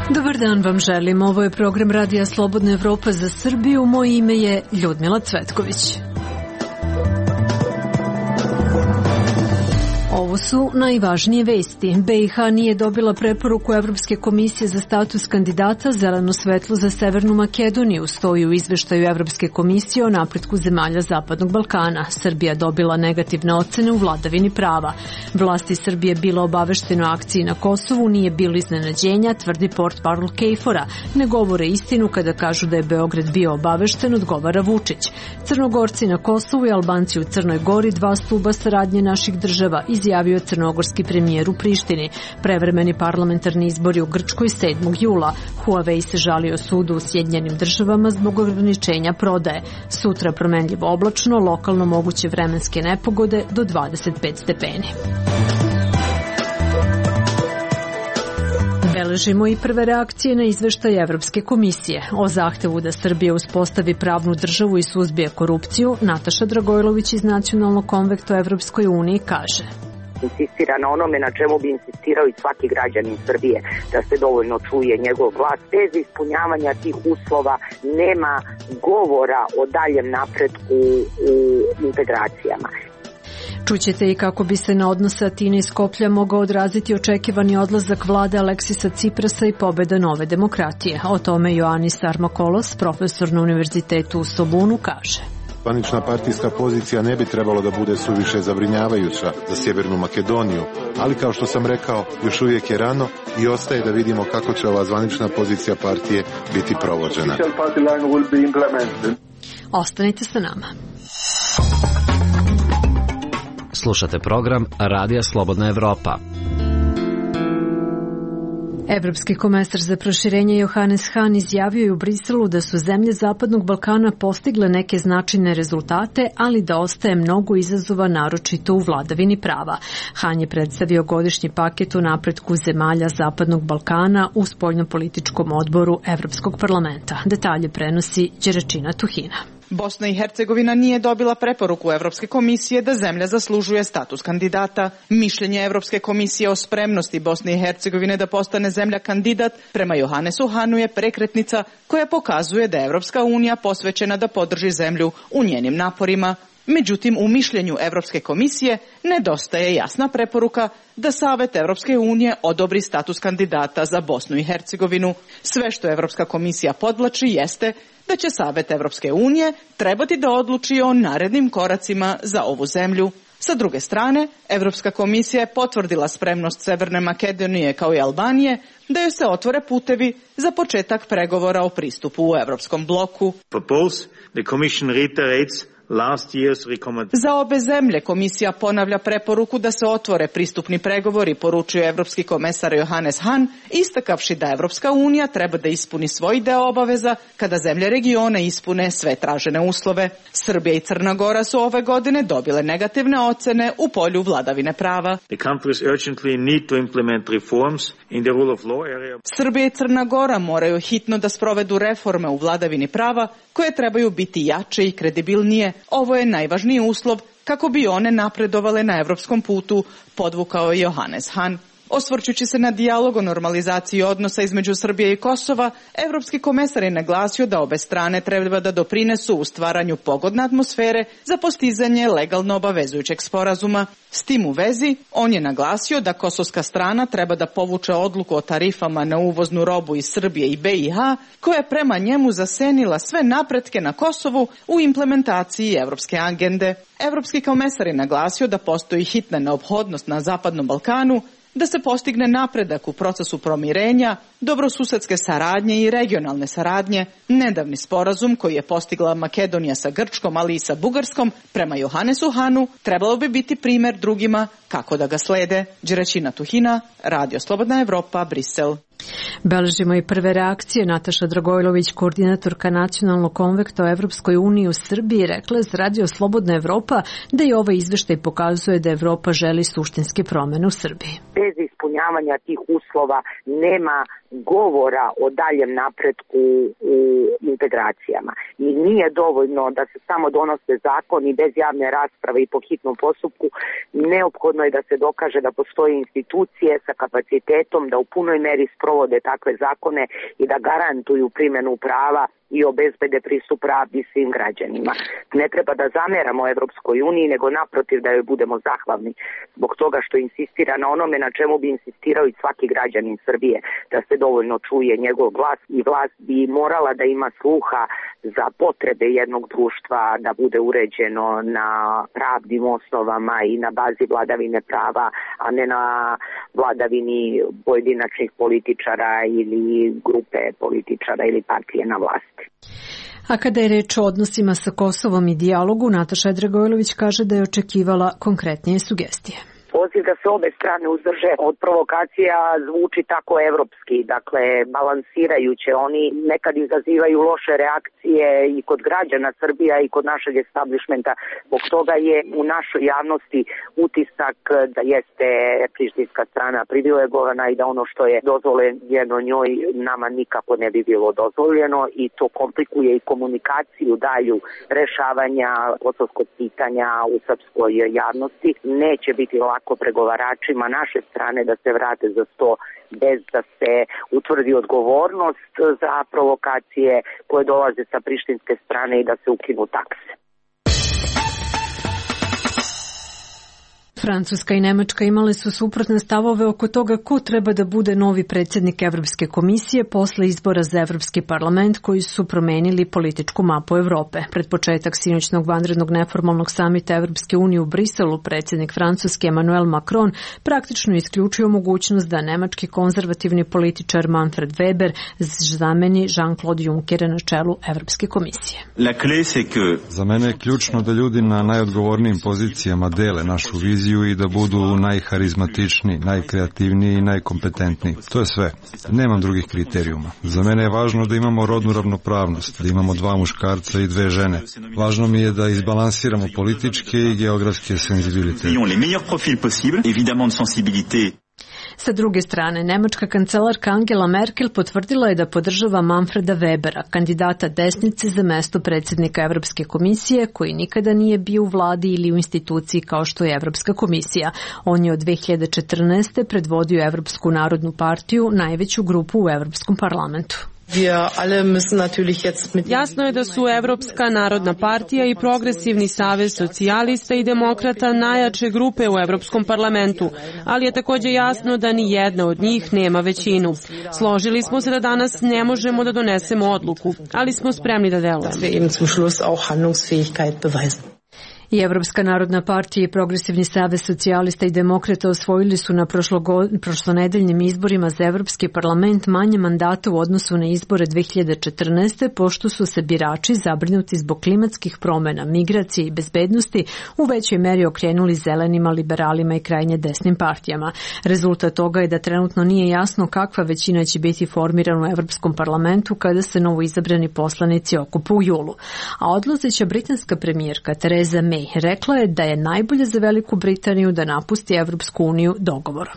Dobar dan vam želim. Ovo je program Radija Slobodna Evropa za Srbiju. Moje ime je Ljudmila Cvetković. Ovo su najvažnije vesti. BiH nije dobila preporuku Evropske komisije za status kandidata, zeleno svetlo za Severnu Makedoniju, stoji u izveštaju Evropske komisije o napretku zemalja Zapadnog Balkana. Srbija dobila negativne ocene u vladavini prava. Vlasti Srbije bila obavešteno o akciji na Kosovu, nije bilo iznenađenja, tvrdi portparol KFOR-a. Ne govore istinu kada kažu da je Beograd bio obavešten, odgovara Vučić. Crnogorci na Kosovu i Albanci u Crnoj Gori, dva stuba saradnje naših država, izjavio crnogorski premijer u Prištini. Prevremeni parlamentarni izbori u Grčkoj 7. jula. Huawei se žalio sudu u Sjedinjenim državama zbog ograničenja prodaje. Sutra promenljivo oblačno, lokalno moguće vremenske nepogode do 25 stepeni. Beležimo i prve reakcije na izveštaj Evropske komisije. O zahtevu da Srbija uspostavi pravnu državu i suzbije korupciju, Nataša Dragojlović iz Nacionalnog konvekta u Evropskoj uniji kaže: insistira na onome na čemu bi insistirao i svaki građanin Srbije, da se dovoljno čuje njegov glas. Bez ispunjavanja tih uslova nema govora o daljem napretku u integracijama. Čućete i kako bi se na odnose Atine i Skoplja mogao odraziti očekivani odlazak vlade Aleksisa Ciprasa i pobeda Nove demokratije. O tome Ioannis Armakolos, profesor na Univerzitetu u Sobunu, kaže: Zvanična partijska pozicija ne bi trebalo da bude suviše zabrinjavajuća za Sjevernu Makedoniju, ali kao što sam rekao, još uvijek je rano i ostaje da vidimo kako će ova zvanična pozicija partije biti provođena. Ostanite sa nama. Slušate program Radija Slobodna Evropa. Evropski komesar za proširenje Johannes Hahn izjavio je u Briselu da su zemlje Zapadnog Balkana postigle neke značajne rezultate, ali da ostaje mnogo izazova, naročito u vladavini prava. Hahn je predstavio godišnji paket o napretku zemalja Zapadnog Balkana u spoljnopolitičkom odboru Evropskog parlamenta. Detalje prenosi Đeračina Tuhina. Bosna i Hercegovina nije dobila preporuku Evropske komisije da zemlja zaslužuje status kandidata. Mišljenje Evropske komisije o spremnosti Bosne i Hercegovine da postane zemlja kandidat prema Johannesu Hahnu je prekretnica koja pokazuje da je Evropska unija posvećena da podrži zemlju u njenim naporima. Međutim, u mišljenju Evropske komisije nedostaje jasna preporuka da Savet Evropske unije odobri status kandidata za Bosnu i Hercegovinu. Sve što Evropska komisija podvlači jeste da će Savet Evropske unije trebati da odluči o narednim koracima za ovu zemlju. Sa druge strane, Evropska komisija je potvrdila spremnost Severne Makedonije kao i Albanije da joj se otvore putevi za početak pregovora o pristupu u Evropskom bloku. Za obe zemlje komisija ponavlja preporuku da se otvore pristupni pregovori, poručio Evropski komesar Johannes Hahn, istakavši da Evropska unija treba da ispuni svoj deo obaveza kada zemlje regiona ispune sve tražene uslove. Srbija i Crna Gora su ove godine dobile negativne ocene u polju vladavine prava. Srbija i Crna Gora moraju hitno da sprovedu reforme u vladavini prava koje trebaju biti jače i kredibilnije. Ovo je najvažniji uslov kako bi one napredovale na evropskom putu, podvukao je Johannes Hahn. Osvrćući se na dijalog o normalizaciji odnosa između Srbije i Kosova, Evropski komesar je naglasio da obe strane treba da doprinesu u stvaranju pogodne atmosfere za postizanje legalno obavezujućeg sporazuma. S tim u vezi, on je naglasio da kosovska strana treba da povuče odluku o tarifama na uvoznu robu iz Srbije i BiH, koja je prema njemu zasenila sve napretke na Kosovu u implementaciji evropske agende. Evropski komesar je naglasio da postoji hitna neophodnost na Zapadnom Balkanu da se postigne napredak u procesu pomirenja, dobrosusedske saradnje i regionalne saradnje. Nedavni sporazum koji je postigla Makedonija sa Grčkom, ali i sa Bugarskom, prema Johannesu Hahnu, trebalo bi biti primer drugima kako da ga slede. Đeračina Tuhina, Radio Slobodna Evropa, Brisel. Beležimo i prve reakcije. Nataša Dragojlović, koordinatorka Nacionalnog konvekta o Evropskoj uniji u Srbiji, rekla je za Radio Slobodna Evropa da i ovaj izveštaj pokazuje da Evropa želi suštinske promene u Srbiji. Bez ispunjavanja tih uslova nema govora o daljem napretku u integracijama. I nije dovoljno da se samo donose zakoni bez javne rasprave i po hitnom postupku. Neophodno je da se dokaže da postoje institucije sa kapacitetom da u punoj meri sprovode takve zakone i da garantuju primjenu prava i obezbede pristup pravdi svim građanima. Ne treba da zameramo Evropskoj uniji, nego naprotiv da joj budemo zahvalni zbog toga što insistira na onome na čemu bi insistirao i svaki građanin Srbije, da se dovoljno čuje njegov glas i vlast bi morala da ima sluha za potrebe jednog društva, da bude uređeno na pravnim osnovama i na bazi vladavine prava, a ne na vladavini pojedinačnih političara ili grupe političara ili partije na vlasti. A kada je reč o odnosima sa Kosovom i dijalogu, Nataša Dragojlović kaže da je očekivala konkretnije sugestije. Poziv da se obe strane uzdrže od provokacija zvuči tako evropski, dakle balansirajuće. Oni nekad izazivaju loše reakcije i kod građana Srbija i kod našeg establishmenta. Zbog toga je u našoj javnosti utisak da jeste prištinska strana privilegovana i da ono što je dozvoljeno njoj nama nikako ne bi bilo dozvoljeno i to komplikuje i komunikaciju dalju rešavanja kosovskog pitanja u srpskoj javnosti. Neće biti lako pregovaračima naše strane da se vrate za sto bez da se utvrdi odgovornost za provokacije koje dolaze sa prištinske strane i da se ukinu takse. Francuska i Nemačka imale su suprotne stavove oko toga ko treba da bude novi predsjednik Evropske komisije posle izbora za Evropski parlament koji su promenili političku mapu Evrope. Pred početak sinoćnog vanrednog neformalnog samita Evropske unije u Briselu predsjednik Francuske Emmanuel Macron praktično isključio mogućnost da nemački konzervativni političar Manfred Weber zameni Jean-Claude Junckera na čelu Evropske komisije. Za mene je ključno da ljudi na najodgovornijim pozicijama dele našu viziju i da budu najharizmatičniji, najkreativniji i najkompetentniji. To je sve. Nemam drugih kriterijuma. Za mene je važno da imamo rodnu ravnopravnost, da imamo 2 muškarca i 2 žene. Važno mi je da izbalansiramo političke i geografske senzibilitete. Sa druge strane, nemačka kancelarka Angela Merkel potvrdila je da podržava Manfreda Webera, kandidata desnice za mesto predsjednika Evropske komisije, koji nikada nije bio u vladi ili u instituciji kao što je Evropska komisija. On je od 2014. predvodio Evropsku narodnu partiju, najveću grupu u Evropskom parlamentu. Jasno je da su Evropska narodna partija i Progresivni savez socijalista i demokrata najjače grupe u Evropskom parlamentu, ali je također jasno da ni jedna od njih nema većinu. Složili smo se da danas ne možemo da donesemo odluku, ali smo spremni da delujemo. I Evropska narodna partija i Progresivni savez socijalista i demokrata osvojili su na prošlonedeljnim izborima za Evropski parlament manje mandata u odnosu na izbore 2014. pošto su se birači zabrinuti zbog klimatskih promjena, migracije i bezbednosti u većoj meri okrenuli zelenima, liberalima i krajnje desnim partijama. Rezultat toga je da trenutno nije jasno kakva većina će biti formirana u Evropskom parlamentu kada se novoizabrani poslanici okupe u julu. A odlazeća britanska premijerka Theresa May rekla je da je najbolje za Veliku Britaniju da napusti Evropsku uniju dogovorom.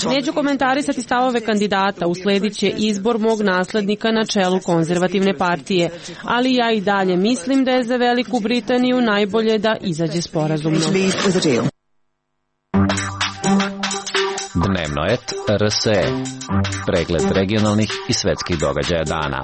Neću komentarisati stavove kandidata, usledit će izbor mog naslednika na čelu konzervativne partije, ali ja i dalje mislim da je za Veliku Britaniju najbolje da izađe sporazumno. Dnevno et RSE. Pregled regionalnih i svetskih događaja dana.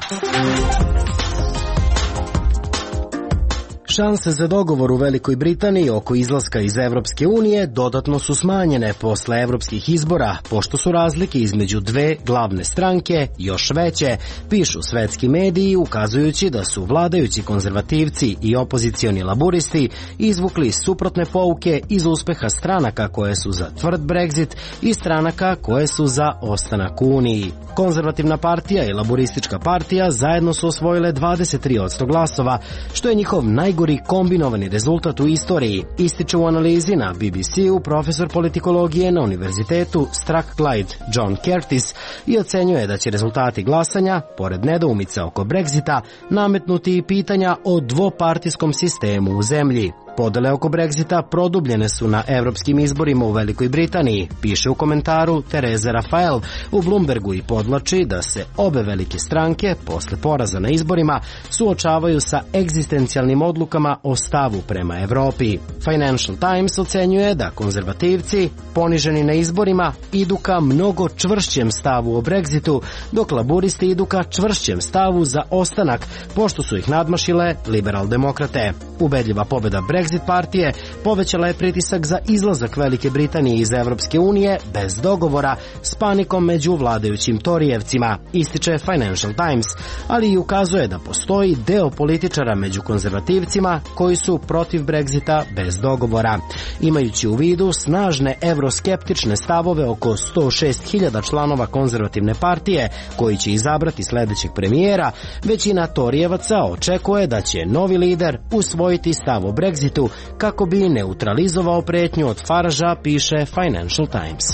Šanse za dogovor u Velikoj Britaniji oko izlaska iz Evropske unije dodatno su smanjene posle evropskih izbora, pošto su razlike između 2 glavne stranke još veće, pišu svetski mediji ukazujući da su vladajući konzervativci i opozicioni laburisti izvukli suprotne pouke iz uspeha stranaka koje su za tvrd Brexit i stranaka koje su za ostanak u Uniji. Konzervativna partija i Laburistička partija zajedno su osvojile 23% glasova, što je njihov najgori kombinovani rezultat u istoriji, ističe u analizi na BBC-u profesor politikologije na univerzitetu Strathclyde John Curtis i ocenjuje da će rezultati glasanja, pored nedoumica oko Brexita, nametnuti i pitanja o dvopartijskom sistemu u zemlji. Podele oko Brexita produbljene su na evropskim izborima u Velikoj Britaniji, piše u komentaru Tereze Rafael u Bloombergu i podvlači da se obe velike stranke, posle poraza na izborima, suočavaju sa egzistencijalnim odlukama o stavu prema Evropi. Financial Times ocenjuje da konzervativci, poniženi na izborima, idu ka mnogo čvršćem stavu o Brexitu, dok laburisti idu ka čvršćem stavu za ostanak, pošto su ih nadmašile liberal-demokrate. Ubedljiva pobeda Brexit partije povećala je pritisak za izlazak Velike Britanije iz Evropske unije bez dogovora s panikom među vladajućim Torijevcima, ističe Financial Times, ali i ukazuje da postoji deo političara među konzervativcima koji su protiv Brexita bez dogovora. Imajući u vidu snažne evroskeptične stavove oko 106.000 članova konzervativne partije koji će izabrati sledećeg premijera, većina Torijevaca očekuje da će novi lider usvojiti stav o Brexitu kako bi neutralizovao pretnju od Faragea, piše Financial Times.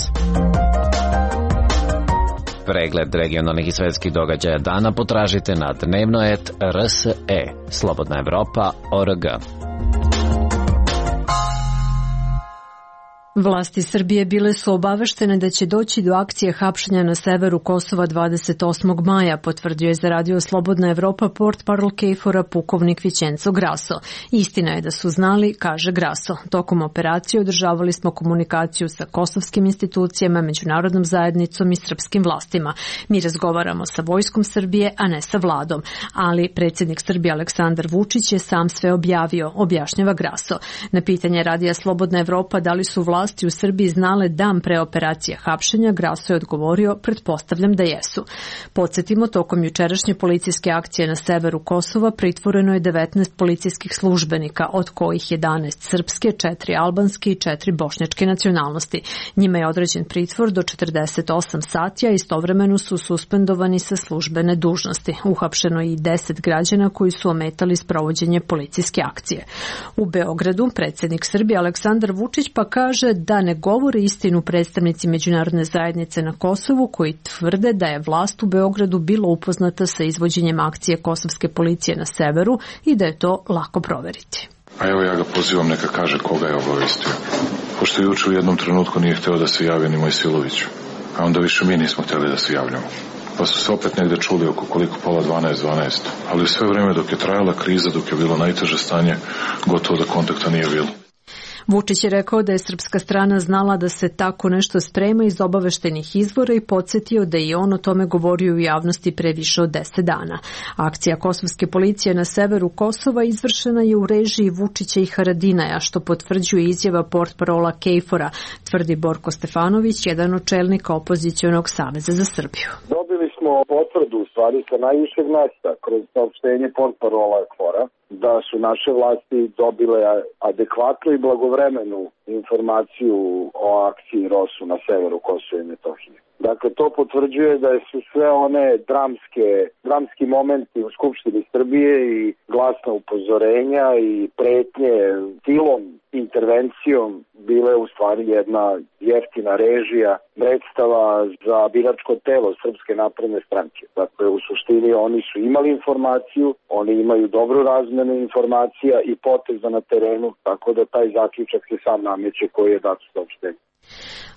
Pregled regionalnih i svetskih događaja dana potražite na dnevno.rs.e. Slobodna Evropa.org. Vlasti Srbije bile su obaveštene da će doći do akcije hapšenja na severu Kosova 28. maja, potvrdio je za radio Slobodna Evropa portparol KFOR-a pukovnik Vićenco Graso. Istina je da su znali, kaže Graso. Tokom operacije održavali smo komunikaciju sa kosovskim institucijama, međunarodnom zajednicom i srpskim vlastima. Mi razgovaramo sa vojskom Srbije, a ne sa vladom. Ali predsjednik Srbije Aleksandar Vučić je sam sve objavio, objašnjava Graso. Na pitanje radija Slobodna Evropa da li su vlasti u Srbiji znale dan pre operacije hapšenja, Graso je odgovorio, pretpostavljam da jesu. Podsjetimo, tokom jučerašnje policijske akcije na severu Kosova pritvoreno je 19 policijskih službenika, od kojih 11 srpske, 4 albanske i 4 bošnjačke nacionalnosti. Njima je određen pritvor do 48 sati, a istovremeno su suspendovani sa službene dužnosti. Uhapšeno je i 10 građana koji su ometali sprovođenje policijske akcije. U Beogradu predsjednik Srbije Aleksandar Vučić pa kaže da ne govore istinu predstavnici međunarodne zajednice na Kosovu koji tvrde da je vlast u Beogradu bila upoznata sa izvođenjem akcije kosovske policije na severu i da je to lako proveriti. A evo ja ga pozivam neka kaže koga je obavestio. Pošto juče u jednom trenutku nije hteo da se javi ni Mojsilović, a onda više mi nismo hteli da se javljamo. Pa su se opet negde čuli oko koliko pola 12, ali sve vreme dok je trajala kriza, dok je bilo najteže stanje, gotovo da kontakta nije bilo. Vučić je rekao da je srpska strana znala da se tako nešto sprema iz obaveštenih izvora i podsjetio da je on o tome govorio u javnosti pre više od 10 dana. Akcija kosovske policije na severu Kosova izvršena je u režiji Vučića i Haradinaja, što potvrđuje izjava portparola KFOR-a, tvrdi Borko Stefanović, jedan od čelnika opozicionog Saveza za Srbiju. Dobili smo potvrdu u stvari sa najvišeg mesta kroz saopštenje portparola KFOR-a da su naše vlasti dobile adekvatnu i blagovremenu informaciju o akciji ROSU na severu Kosova i Metohije. Dakle, to potvrđuje da su sve one dramski momenti u Skupštini Srbije i glasna upozorenja i pretnje silom, intervencijom bile u stvari jedna jeftina režija, predstava za biračko telo Srpske napredne stranke. Dakle, u suštini oni su imali informaciju, oni imaju dobru razmenu informacija i poteza na terenu, tako da taj zaključak se sam nameće koji je dat u saopštenju.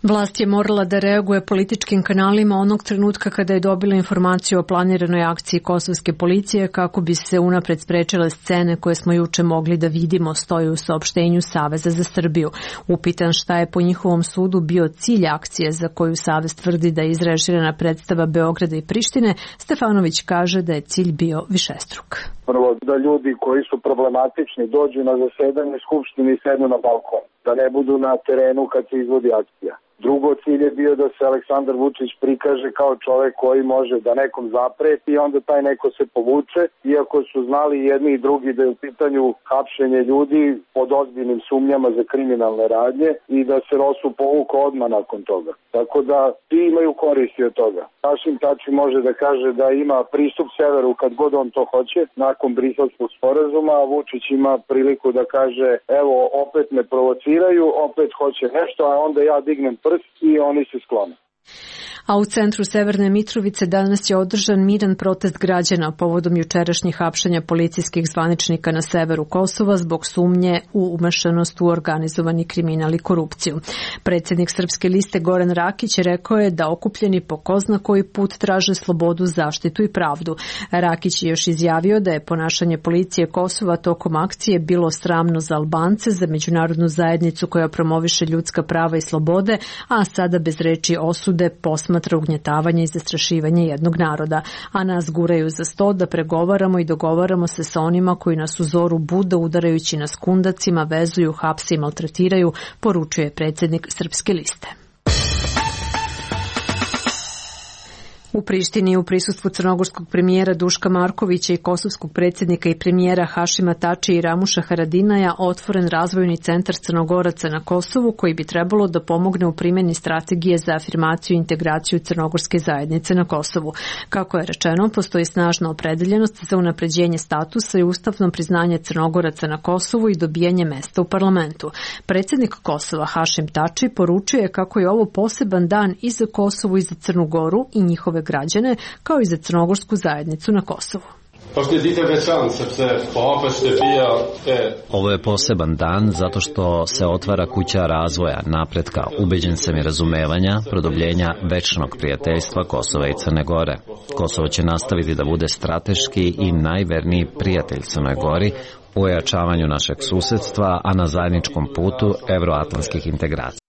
Vlast je morala da reaguje političkim kanalima onog trenutka kada je dobila informaciju o planiranoj akciji kosovske policije kako bi se unapred sprečile scene koje smo juče mogli da vidimo, stoji u saopštenju Saveza za Srbiju. Upitan šta je po njihovom sudu bio cilj akcije za koju Savez tvrdi da je izrežirana predstava Beograda i Prištine, Stefanović kaže da je cilj bio višestruk. Prvo, da ljudi koji su problematični dođu na zasedanje Skupštine i sednu na balkon, da ne budu na terenu kad se izvodi akcija. Drugo, cilj je bio da se Aleksandar Vučić prikaže kao čovek koji može da nekom zapreti i onda taj neko se povuče, iako su znali jedni i drugi da je u pitanju hapšenje ljudi pod ozbiljnim sumnjama za kriminalne radnje i da se Rosu povuka odmah nakon toga. Tako da ti imaju koristi od toga. Hašim Tači može da kaže da ima pristup severu kad god on to hoće, nakon Briselskog sporazuma, a Vučić ima priliku da kaže evo opet me provociraju, opet hoće nešto, a onda ja dignem prst i oni se sklone. A u centru Severne Mitrovice danas je održan miran protest građana povodom jučerašnjih hapšenja policijskih zvaničnika na severu Kosova zbog sumnje u umešanost u organizovani kriminal i korupciju. Predsjednik Srpske liste Goran Rakić rekao je da okupljeni po ko zna koji put traže slobodu, zaštitu i pravdu. Rakić je još izjavio da je ponašanje policije Kosova tokom akcije bilo sramno za Albance, za međunarodnu zajednicu koja promoviše ljudska prava i slobode, a sada bez reči osude posmatra ugnjetavanje i zastrašivanje jednog naroda, a nas guraju za sto da pregovaramo i dogovaramo se sa onima koji nas u zoru bude udarajući nas kundacima, vezuju, hapse i maltretiraju, poručuje predsjednik Srpske liste. U Prištini u prisustvu crnogorskog premijera Duška Markovića i kosovskog predsjednika i premijera Hašima Tači i Ramuša Haradinaja otvoren razvojni centar Crnogoraca na Kosovu koji bi trebalo da pomogne u primjeni strategije za afirmaciju i integraciju crnogorske zajednice na Kosovu. Kako je rečeno, postoji snažna opredeljenost za unapređenje statusa i ustavno priznanje Crnogoraca na Kosovu i dobijanje mesta u parlamentu. Predsjednik Kosova Hašim Tači poručuje kako je ovo poseban dan i za Kosovu i za Crnu Goru i njihove građane, kao i za crnogorsku zajednicu na Kosovu. Ovo je poseban dan zato što se otvara kuća razvoja, napretka, ubeđen sam i razumevanja, produbljenja večnog prijateljstva Kosova i Crne Gore. Kosovo će nastaviti da bude strateški i najverniji prijatelj Crnoj Gori u ojačavanju našeg susedstva, a na zajedničkom putu evroatlantskih integracija.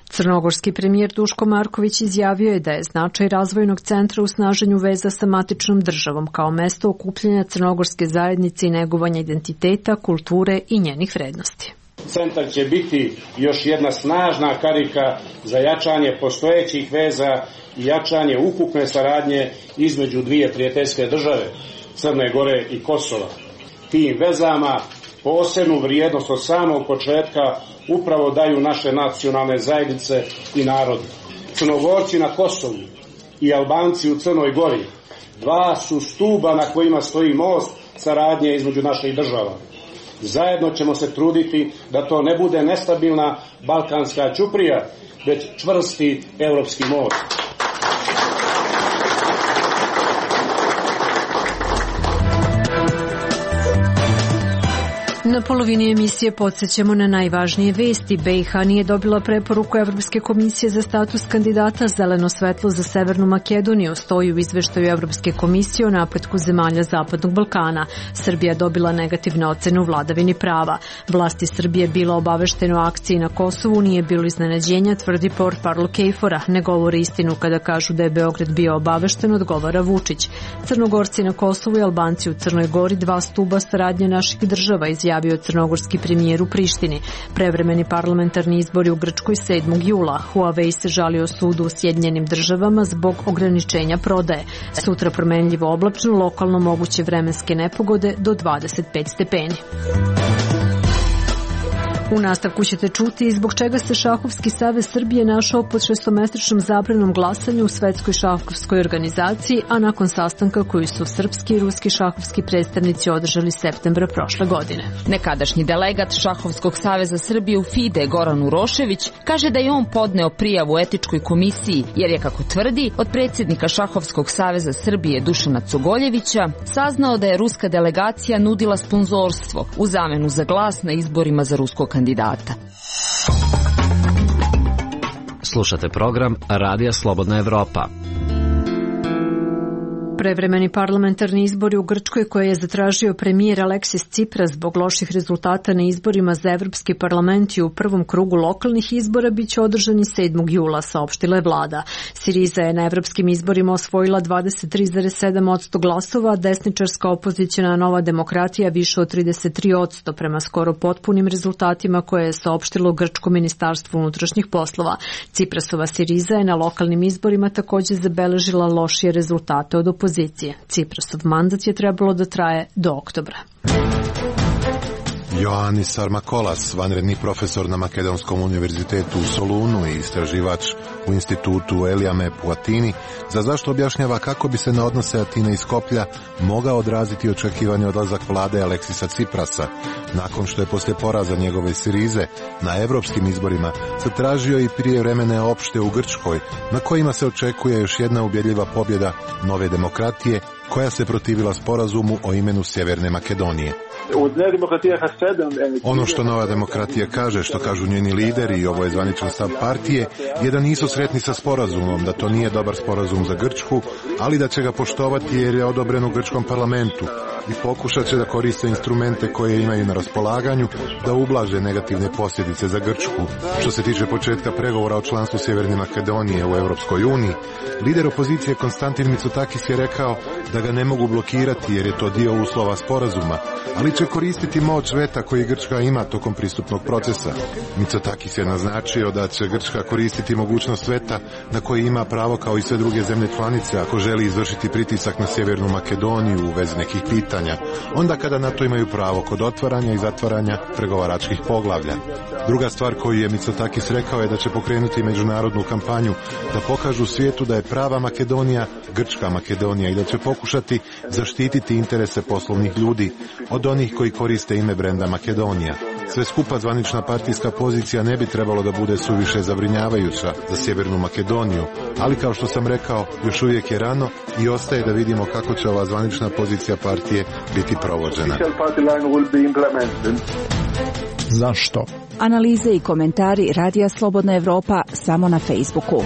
Crnogorski premijer Duško Marković izjavio je da je značaj razvojnog centra u snaženju veza sa matičnom državom kao mesto okupljanja crnogorske zajednice i negovanja identiteta, kulture i njenih vrednosti. Centar će biti još jedna snažna karika za jačanje postojećih veza i jačanje ukupne saradnje između dvije prijateljske države, Crne Gore i Kosova. Tim vezama posebnu vrijednost od samog početka upravo daju naše nacionalne zajednice i narodi. Crnogorci na Kosovu i Albanci u Crnoj Gori dva su stuba na kojima stoji most saradnje između naših država. Zajedno ćemo se truditi da to ne bude nestabilna balkanska ćuprija, već čvrsti evropski most. Na polovini emisije podsjećamo na najvažnije vesti. BiH nije dobila preporuku Evropske komisije za status kandidata. Zeleno svetlo za Severnu Makedoniju stoji u izveštaju Evropske komisije o napretku zemalja Zapadnog Balkana. Srbija dobila negativne ocene u vladavini prava. Vlasti Srbije bila obaveštene o akciji na Kosovu, nije bilo iznenađenja, tvrdi portparol KFOR-a. Ne govore istinu kada kažu da je Beograd bio obavešten, odgovara Vučić. Crnogorci na Kosovu i Albanci u Crnoj Gori dva stuba saradnje naših država, izjavio crnogorski premijer u Prištini. Prevremeni parlamentarni izbori u Grčkoj 7. jula. Huawei se žalio sudu u Sjedinjenim državama zbog ograničenja prodaje. Sutra promenljivo oblačno, lokalno moguće vremenske nepogode do 25 stepeni. U nastavku ćete čuti zbog čega se Šahovski savez Srbije našao pod 6-mesečnom zabranom glasanja u Svetskoj šahovskoj organizaciji, a nakon sastanka koji su srpski i ruski šahovski predstavnici održali septembra prošle godine. Nekadašnji delegat Šahovskog saveza Srbije u FIDE Goran Urošević kaže da je on podneo prijavu etičkoj komisiji jer je, kako tvrdi, od predsjednika Šahovskog saveza Srbije Dušana Cogoljevića saznao da je ruska delegacija nudila sponzorstvo u zamenu za glas na izborima za ruskog kandidata. Slušate program Radija Slobodna Evropa. Prevremeni parlamentarni izbori u Grčkoj koje je zatražio premijer Aleksis Tsipras zbog loših rezultata na izborima za Evropski parlament i u prvom krugu lokalnih izbora biće održani 7. jula, saopštila je vlada. Siriza je na evropskim izborima osvojila 23,7% glasova, desničarska opoziciona Nova demokratija više od 33% prema skoro potpunim rezultatima koje je saopštilo Grčko ministarstvo unutrašnjih poslova. Tsiprasova Siriza je na lokalnim izborima također zabeležila lošije rezultate od opozicije. Tsiprasov mandat je trebalo da traje do oktobra. Ioannis Sarmakolas, vanredni profesor na Makedonskom univerzitetu u Solunu i istraživač u institutu Eliamep u Atini, za zašto objašnjava kako bi se na odnose Atine i Skoplja mogao odraziti očekivani odlazak vlade Aleksisa Tsiprasa, nakon što je poslije poraza njegove Sirize na evropskim izborima zatražio i prijevremene opšte u Grčkoj, na kojima se očekuje još jedna ubjedljiva pobjeda Nove demokratije, koja se protivila sporazumu o imenu Sjeverne Makedonije. Ono što Nova demokratija kaže, što kažu njeni lideri, i ovo je zvaničan stav partije, je da nisu sretni sa sporazumom, da to nije dobar sporazum za Grčku, ali da će ga poštovati jer je odobren u grčkom parlamentu i pokušat će da koriste instrumente koje imaju na raspolaganju da ublaže negativne posljedice za Grčku. Što se tiče početka pregovora o članstvu Sjeverne Makedonije u Europskoj uniji, lider opozicije Konstantin Mitsotakis je rekao da ga ne mogu blokirati jer je to dio uslova sporazuma, ali će koristiti moć veta koji Grčka ima tokom pristupnog procesa. Mitsotakis je naznačio da će Grčka koristiti mogućnost veta na koji ima pravo kao i sve druge zemlje članice ako želi izvršiti pritisak na Sjevernu Makedoniju u vezi nekih pitanja, onda kada na to imaju pravo kod otvaranja i zatvaranja pregovaračkih poglavlja. Druga stvar koju je Mitsotakis rekao je da će pokrenuti međunarodnu kampanju da pokažu svijetu da je prava Makedonija grčka Makedonija i da će pokušati zaštititi interese poslovnih ljudi od onih koji koriste ime brenda Makedonija. Sve skupa zvanična partijska pozicija ne bi trebalo da bude suviše zabrinjavajuća za Sjevernu Makedoniju, ali kao što sam rekao, još uvijek je rano i ostaje da vidimo kako će ova zvanična pozicija partije biti provođena. Zašto? Analize i komentari Radija Slobodna Evropa samo na Facebooku.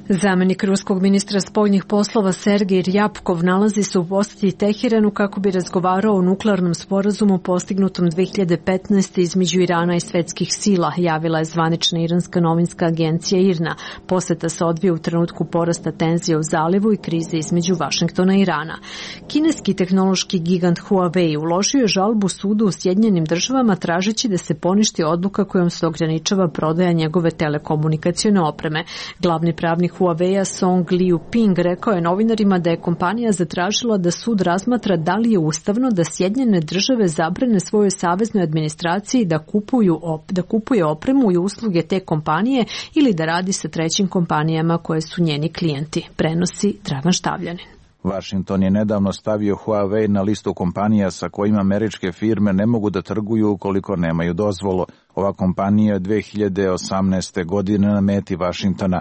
Zamenik ruskog ministra spoljnih poslova Sergej Rjapkov nalazi se u posjeti Teheranu kako bi razgovarao o nuklearnom sporazumu postignutom 2015. između Irana i svetskih sila, javila je zvanična iranska novinska agencija IRNA. Posjeta se odvija u trenutku porasta tenzije u zalivu i krize između Vašingtona i Irana. Kineski tehnološki gigant Huawei uložio je žalbu sudu u Sjedinjenim državama tražeći da se poništi odluka kojom se ograničava prodaja njegove telekomunikacione opreme. Glavni pravnik Huawei-a Song Liu-ping rekao je novinarima da je kompanija zatražila da sud razmatra da li je ustavno da Sjedinjene države zabrane svojoj saveznoj administraciji da kupuje opremu i usluge te kompanije ili da radi sa trećim kompanijama koje su njeni klijenti, prenosi Dragan Štavljanin. Washington je nedavno stavio Huawei na listu kompanija sa kojima američke firme ne mogu da trguju ukoliko nemaju dozvolu. Ova kompanija je 2018. godine na meti Washingtona.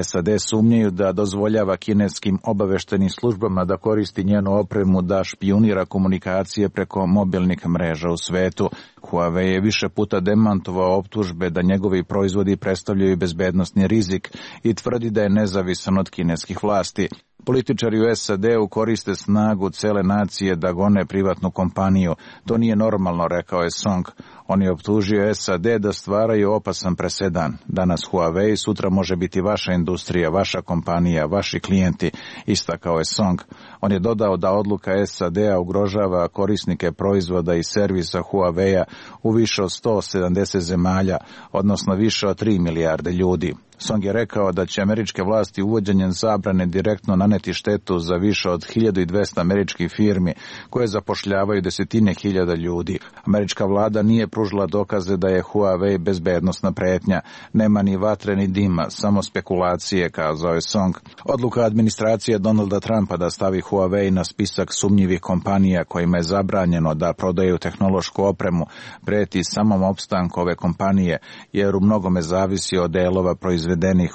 SAD sumnjaju da dozvoljava kineskim obaveštenim službama da koristi njenu opremu da špijunira komunikacije preko mobilnih mreža u svetu. Huawei je više puta demantovao optužbe da njegovi proizvodi predstavljaju bezbednosni rizik i tvrdi da je nezavisan od kineskih vlasti. Političari u SAD-u koriste snagu cele nacije da gone privatnu kompaniju. To nije normalno, rekao je Song. On je optužio SAD da stvaraju opasan presedan. Danas Huawei, sutra može biti vaša industrija, vaša kompanija, vaši klijenti, istakao je Song. On je dodao da odluka SAD-a ugrožava korisnike proizvoda i servisa Huawei-a u više od 170 zemalja, odnosno više od 3 milijarde ljudi. Song je rekao da će američke vlasti uvođenjem zabrane direktno naneti štetu za više od 1200 američkih firmi koje zapošljavaju desetine hiljada ljudi. Američka vlada nije pružila dokaze da je Huawei bezbednosna pretnja. Nema ni vatre ni dima, samo spekulacije, kazao je Song. Odluka administracije Donalda Trumpa da stavi Huawei na spisak sumnjivih kompanija kojima je zabranjeno da prodaju tehnološku opremu preti samom opstanku ove kompanije, jer u mnogome zavisi od delova proizvedenih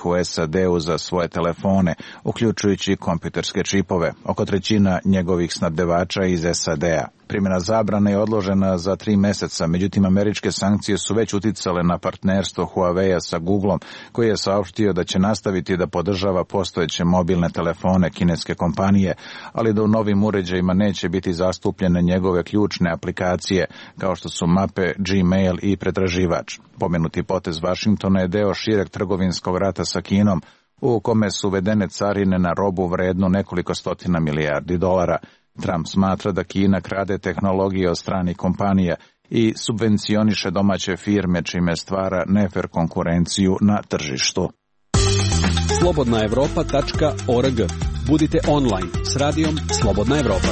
u SAD-u za svoje telefone, uključujući kompjuterske čipove, oko trećina njegovih snabdevača iz SAD-a. Primjena zabrane je odložena za 3 meseca, međutim američke sankcije su već uticale na partnerstvo Huawei-a sa Googlom, koji je saopštio da će nastaviti da podržava postojeće mobilne telefone kineske kompanije, ali da u novim uređajima neće biti zastupljene njegove ključne aplikacije, kao što su mape, Gmail i pretraživač. Pomenuti potez Vašingtona je deo šireg trgovinskog rata sa Kinom, u kome su uvedene carine na robu vrednu nekoliko stotina milijardi dolara. Trump smatra da Kina krade tehnologije od stranih kompanija i subvencioniše domaće firme, čime stvara nefer konkurenciju na tržištu. slobodnaevropa.org. Budite online s radijom Slobodna Evropa.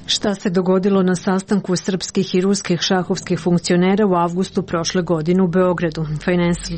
Šta se dogodilo na sastanku srpskih i ruskih šahovskih funkcionera u avgustu prošle godine u Beogradu?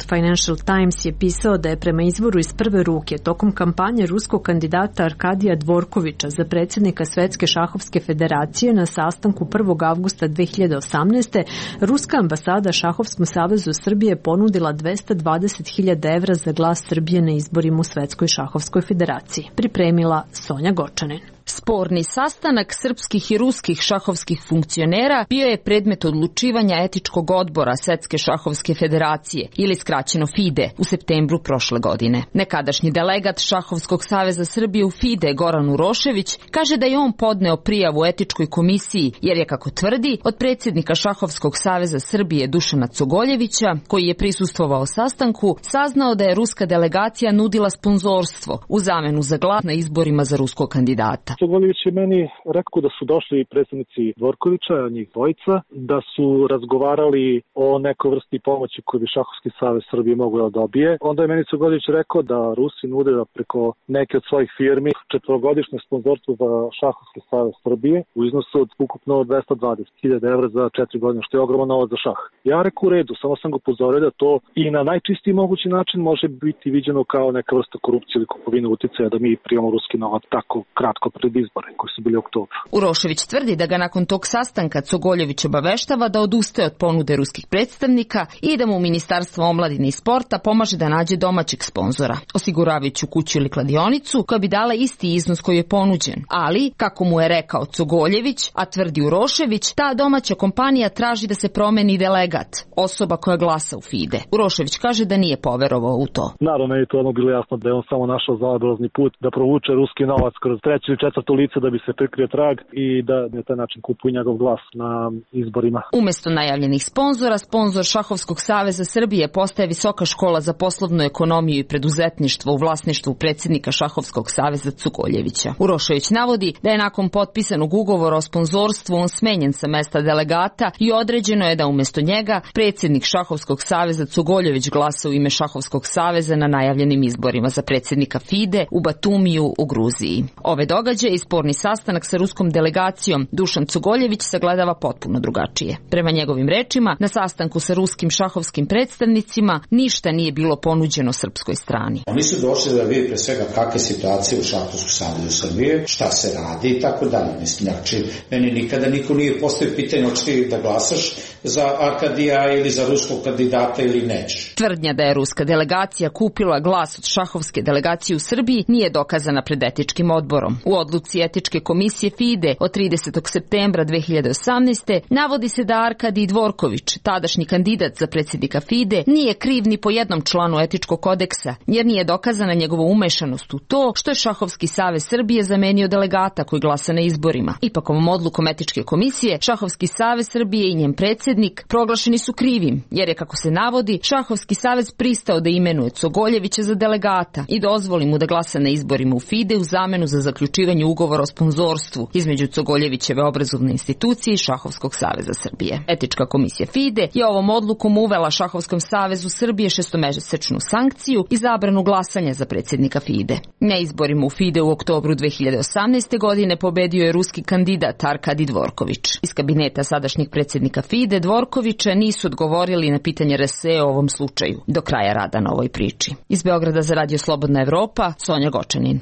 Financial Times je pisao da je prema izvoru iz prve ruke tokom kampanje ruskog kandidata Arkadija Dvorkovića za predsjednika Svetske šahovske federacije na sastanku 1. avgusta 2018. Ruska ambasada Šahovskom savezu Srbije ponudila 220.000 evra za glas Srbije na izborima u Svetskoj šahovskoj federaciji. Pripremila Sonja Gočanin. Sporni sastanak srpskih i ruskih šahovskih funkcionera bio je predmet odlučivanja etičkog odbora Svetske šahovske federacije ili skraćeno FIDE u septembru prošle godine. Nekadašnji delegat Šahovskog saveza Srbije u FIDE Goran Urošević kaže da je on podneo prijavu etičkoj komisiji jer je, kako tvrdi, od predsjednika Šahovskog saveza Srbije Dušana Cogoljevića, koji je prisustvovao sastanku, saznao da je ruska delegacija nudila sponzorstvo u zamenu za glas na izborima za ruskog kandidata. Cogoljević je meni rekao da su došli predsjednici Dvorkovića, njih dvojica, da su razgovarali o nekoj vrsti pomoći koju bi Šahovski savez Srbije mogao da dobije. Onda je meni Cogoljević rekao da Rusi nude da preko neke od svojih firmi 4-godišnje sponzorstvo za Šahovski savez Srbije u iznosu od ukupno 220.000 evra za 4 godine, što je ogroman novac za šah. Ja rekao u redu, samo sam ga upozorio da to i na najčistiji mogući način može biti viđeno kao neka vrsta korupcije ili kupovine uticaja, da mi primamo ruski novac tako kratko pred izbore koji su bili u oktobru. Urošević tvrdi da ga nakon tog sastanka Cogoljević obaveštava da odustaje od ponude ruskih predstavnika i da mu Ministarstvo omladine i sporta pomaže da nađe domaćeg sponzora, osiguravajuću kuću ili kladionicu koja bi dala isti iznos koji je ponuđen. Ali, kako mu je rekao Cogoljević, a tvrdi Urošević, ta domaća kompanija traži da se promeni delegat, osoba koja glasa u FIDE. Urošević kaže da nije poverovao u to. Naravno, meni je to bilo jasno da je on samo našao zaobilazni put da provuče ruski novac kroz treće ili četvrto lice da bi se prikrio trag i da na taj način kupuje njegov glas na izborima. Umesto najavljenih sponzora, sponzor Šahovskog saveza Srbije postaje Visoka škola za poslovnu ekonomiju i preduzetništvo u vlasništvu predsjednika Šahovskog saveza Cugoljevića. Urošević navodi da je nakon potpisanog ugovora o sponzorstvu on smenjen sa mesta delegata i određeno je da umjesto njega predsjednik Šahovskog saveza Cugoljević glasa u ime Šahovskog saveza na najavljenim izborima za predsjednika FIDE u Batumiju u Gruziji. Ove događaje i sporni sastanak sa ruskom delegacijom Dušan Cugoljević sagledava potpuno drugačije. Prema njegovim rečima, na sastanku sa ruskim šahovskim predstavnicima ništa nije bilo ponuđeno srpskoj strani. Oni su došli da vidi pre svega kakve situacije u Šahovskom savezu Srbije, šta se radi i tako dalje. Mislim, znači, meni nikada niko nije postavio pitanje hoćeš da glasaš za Arkadija ili za ruskog kandidata ili nećeš. Tvrdnja da je ruska delegacija kupila glas od šahovske delegacije u Srbiji nije dokazana pred etičkim odborom. U odluci etičke komisije FIDE od 30. septembra 2018. navodi se da Arkadij Dvorković, tadašnji kandidat za predsjednika FIDE, nije kriv ni po jednom članu etičkog kodeksa, jer nije dokazana njegova umešanost u to što je Šahovski savez Srbije zamenio delegata koji glasa na izborima. Ipak ovom odlukom etičke komisije, Šahovski savez Srbije i njen predsjednik proglašeni su krivim, jer je, kako se navodi, Šahovski savez pristao da imenuje Cogoljevića za delegata i dozvoli mu da glasa na izborima u FIDE u zamenu za zaključivanje ugovora o sponzorstvu između Cogoljevićeve obrazovne institucije i Šahovskog saveza Srbije. Etička komisija FIDE je ovom odlukom uvela Šahovskom savezu Srbije 6-mesečnu sankciju i zabranu glasanja za predsjednika FIDE. Na izborima u FIDE u oktobru 2018. godine pobedio je ruski kandidat Arkadij Dvorković. Iz kabineta sadašnjeg predsjednika FIDE Dvorkovića nisu odgovorili na pitanje RSE o ovom slučaju do kraja rada na ovoj priči. Iz Beograda za Radio Slobodna Evropa, Sonja Gočanin.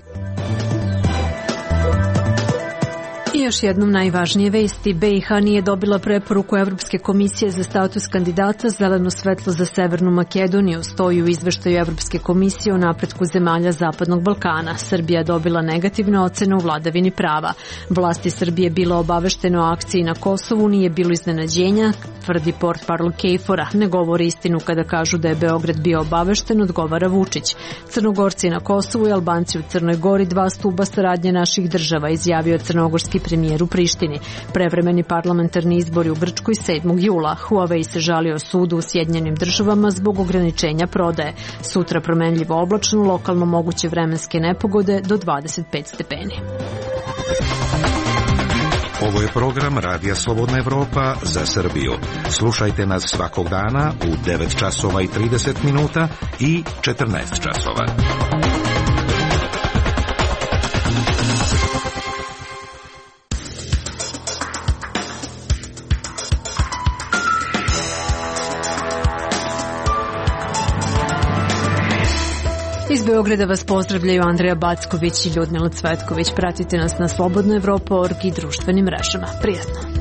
još jednom najvažnije vesti. BiH nije dobila preporuku Evropske komisije za status kandidata, zeleno svetlo za Severnu Makedoniju, stoji u izveštaju Evropske komisije o napretku zemalja Zapadnog Balkana. Srbija dobila negativne ocene u vladavini prava. Vlasti Srbije bilo obavešteno o akciji na Kosovu, nije bilo iznenađenja, tvrdi portparol KFOR-a. Ne govori istinu kada kažu da je Beograd bio obavešten, odgovara Vučić. Crnogorci na Kosovu i Albanci u Crnoj Gori, dva stuba saradnje naših država, izjavio crnogorski premijer u Prištini. Prevremeni parlamentarni izbori u Grčkoj 7. jula. Huawei se žalio sudu u Sjedinjenim državama zbog ograničenja prodaje. Sutra promenljivo oblačno, lokalno moguće vremenske nepogode do 25 stepeni. Ovo je program Radija Slobodna Evropa za Srbiju. Slušajte nas svakog dana u 9 časova i 30 minuta i 14 časova. Iz Beograda vas pozdravljaju Andreja Backović i Ljudmila Cvetković. Pratite nas na slobodnoevropa.org i društvenim mrežama. Prijatno.